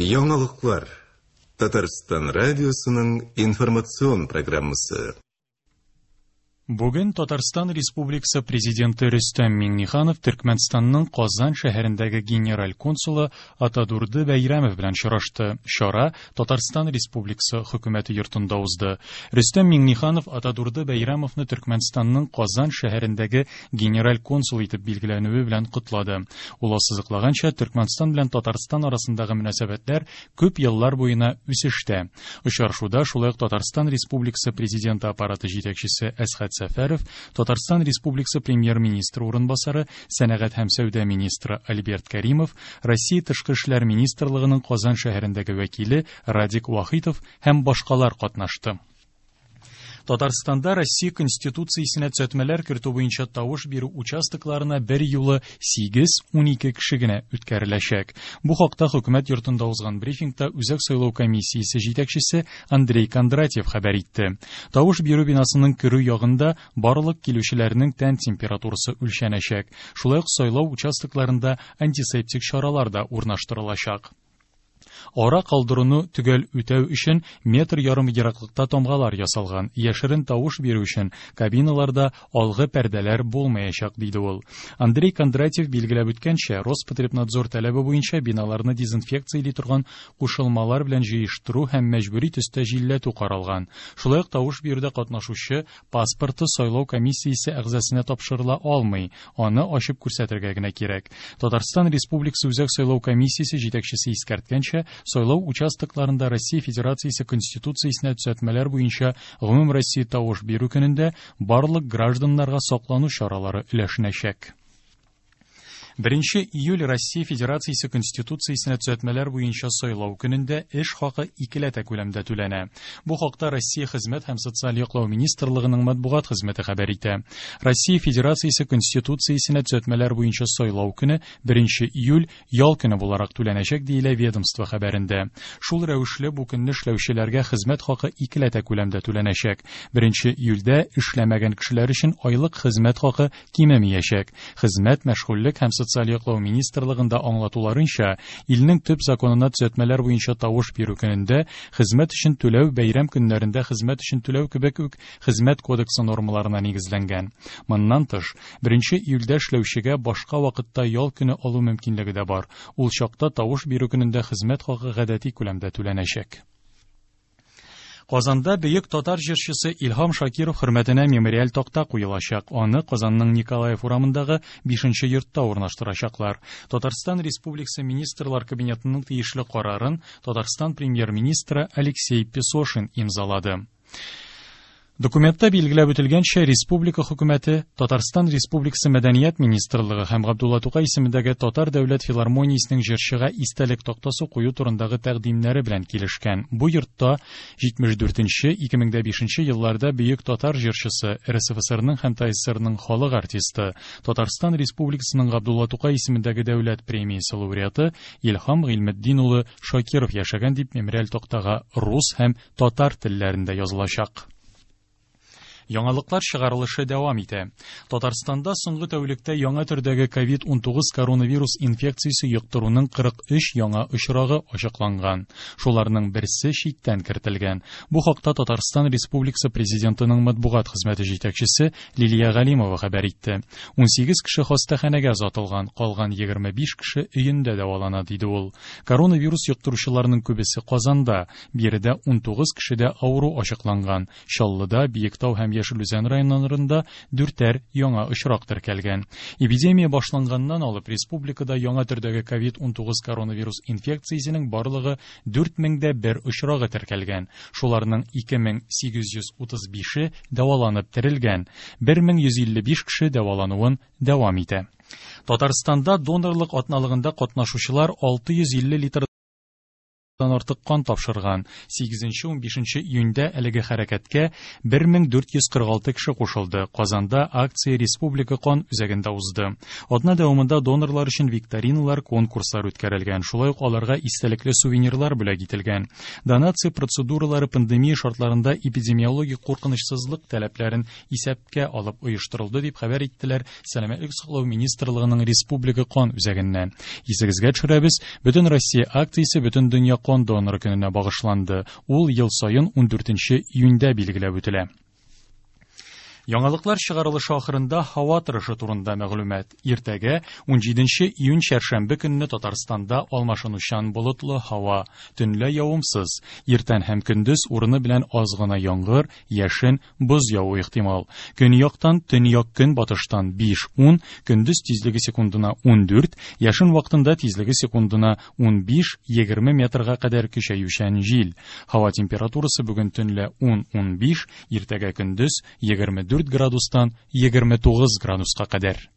Яңалыклар. Татарстан радиосының информацион программасы. Бүген Татарстан Республикасы Президенты Рөстәм Миңнеханов Төркмәнстанның Казан шәһәрендәге генераль консулы Атадурды Бәйрәмов белән очрашты. Чара Татарстан Республикасы Хөкүмәте йортында узды. Рөстәм Миңнеханов Атадурды Бәйрәмовны Төркмәнстанның Казан шәһәрендәге генераль консул итеп билгеләнүе белән котлады. Ул ассызыклаганча, Төркмәнстан белән Татарстан арасындагы мөнәсәбәтләр күп еллар буена үсештә. Очрашуда шулай ук Татарстан Республикасы Президенты аппараты җитәкчесе Әсхәт Сәфәров, Татарстан Республикасы Премьер-министры урынбасары, сәнәгать һәм сәүдә министры Альберт Кәримов, Россия Тышкы эшләр министрлыгының Казан шәһәрендәге вәкиле Радик Вахитов һәм башкалар катнашты. Татарстанда Россия Конституциясенә төзәтмәләр кертү буенча тавыш бирү участокларына бер юлы 8-12 кеше генә үткәреләчәк. Бу хакта хөкүмәт йортында узган брифингта Үзәк сайлау комиссиясе җитәкчесе Андрей Кондратьев хәбәр итте. Тавыш бирү бинасының керү ягында барлык килүчеләрнең тән температурасы үлчәнәчәк. Шулай ук сайлау участокларында антисептик чаралар да урнаштырылачак. Ара калдыруны төгәл үтәү өчен метр ярым ераклыкта тамгалар ясалган. Яшерен тавыш бирү өчен кабиналарда алгы пәрдәләр булмаячак, диде ул. Андрей Кондратьев билгеләп үткәнчә, Роспотребнадзор таләбе буенча биналарны дезинфекцияли торган кушылмалар белән җыештыру һәм мәҗбүри төстә җилләтү каралган. Шулай ук тавыш бирүдә катнашучы паспорты сайлау комиссиясе әгъзасына тапшырыла алмый, аны ачып күрсәтергә генә кирәк. Татарстан Республикасы Үзәк сайлау комиссиясе җитәкчесе искәрткәнчә, сайлау участокларында Россия Федерациясе Конституциясенә төзәтмәләр буенча гомумроссия тавыш бирү көнендә барлык гражданнарга саклану чаралары өләшенәчәк. 1 июль Россия Федерациясе Конституциясенә төзәтмәләр буенча сайлау көнендә эш хакы икеләтә күләмдә түләнә. Бу хакта Россия Хезмәт һәм социаль яклау министрлыгының матбугат хезмәте хәбәр итә. Россия Федерациясе Конституциясенә төзәтмәләр буенча сайлау көне 1 июль ял көне буларак түләнәчәк, диелә ведомство хәбәрендә. Шул рәвешле бу көнне эшләүчеләргә хезмәт хакы икеләтә күләмдә түләнәчәк. 1 июльдә эшләмәгән кешеләр өчен айлык хезмәт хакы кимемиячәк. Хезмәт, мәшгульлек һәм социаль яклау министрлыгында аңлатуларынча, илнең төп законына төзәтмәләр буенча тавыш бирү көнендә хезмәт өчен түләү бәйрәм көннәрендә хезмәт өчен түләү кебек үк Хезмәт кодексы нормаларына нигезләнгән. Моннан тыш, 1 июльдә эшләүчегә башка вакытта ял көне алу мөмкинлеге дә бар. Ул чакта тавыш бирү көнендә хезмәт хакы гадәти күләмдә түләнәчәк. Казанда бөек татар җырчысы Илһам Шакиров хөрмәтенә мемориаль такта куелачак. Аны Казанның Николаев урамындагы 5 йортта урнаштырачаклар. Татарстан Республикасы Министрлар Кабинетының тиешле карарын Татарстан Премьер-министры Алексей Песошин имзалады. Документта билгеләп үтелгәнчә, республика хөкүмәте, Татарстан Республикасы Мәдәният министрлыгы һәм Габдулла Тукай исемендәге Татар дәүләт филармониясенең җырчыга истәлек тактасы кую турындагы тәкъдимнәре белән килешкән. Бу йортта 74-нче, 2005 елларда бөек татар җырчысы, РСФСРның һәм ТАССРның халык артисты, Татарстан Республикасының Габдулла Тукай исемендәге дәүләт премиясе лауреаты Илһам Гыйльметдин улы Шакиров яшәгән дип мемориаль тактага рус һәм татар телләрендә язылачак. Яңалыклар чыгарылышы дәвам итә. Татарстанда соңгы тәүлектә яңа төрдәге COVID-19 коронавирус инфекциясе йоктыруның 43 яңа очрагы ачыкланган. Шуларның берсе читтән кертелгән. Бу хакта Татарстан Республикасы Президентының матбугат хезмәте җитәкчесе Лилия Галимова хәбәр итте. 18 кеше хастаханәгә озатылган, калган 25 кеше өендә дәвалана, диде ул. Коронавирус йоктыручыларның күбесе Казанда. Биредә 19 кешедә авыру ачыкланган. Чаллыда, Биектау һәм Яшел Үзән районнарында дүртәр яңа очрак теркәлгән. Эпидемия башланганнан алып республикада яңа төрдәге COVID-19 коронавирус инфекциясенең барлыгы 4001 очрагы теркәлгән. Шуларның 2835-е дәваланып терелгән. 1155 кеше дәвалануын дәвам итә. Татарстанда донорлык атналыгында катнашучылар 650 литр Артык кан тапшырган. 8-15 июньдә әлеге хәрәкәткә 1446 кеше кушылды. Казанда акция Республика кан үзәгендә узды. Атна дәвамында донорлар өчен викториналар, конкурслар үткәрелгән. Шулай ук аларга истәлекле сувенирлар бүләк ителгән. Донация процедуралары пандемия шартларында эпидемиологик куркынычсызлык таләпләрен исәпкә алып оештырылды, дип хәбәр иттеләр Сәламәтлек саклау министрлыгының Республика кан үзәгеннән. Исегезгә төшерәбез, Бөтен Россия акциясе Бөтендөнья кан доноры көненә багышланды. Ул ел саен 14 июньдә билгеләп үтелә. Яңалыклар чыгарылышы ахырында һава торышы турында мәгълүмат. Иртәгә, 17 июнь чәршәмбе көнне Татарстанда алмашынучан болытлы һава, төнлә явымсыз. Иртән һәм көндез урыны белән аз гына яңгыр, яшен, боз явуы ихтимал. Көньяктан, төньяк-көнбатыштан 5-10, көндез тизлеге секундына 14, яшен вакытында тизлеге секундына 15-20 метрга кадәр көчәючән җил. Һава температурасы бүген төнлә 10-15, иртәгә көндез 24 градустан 29 градуска кадәр.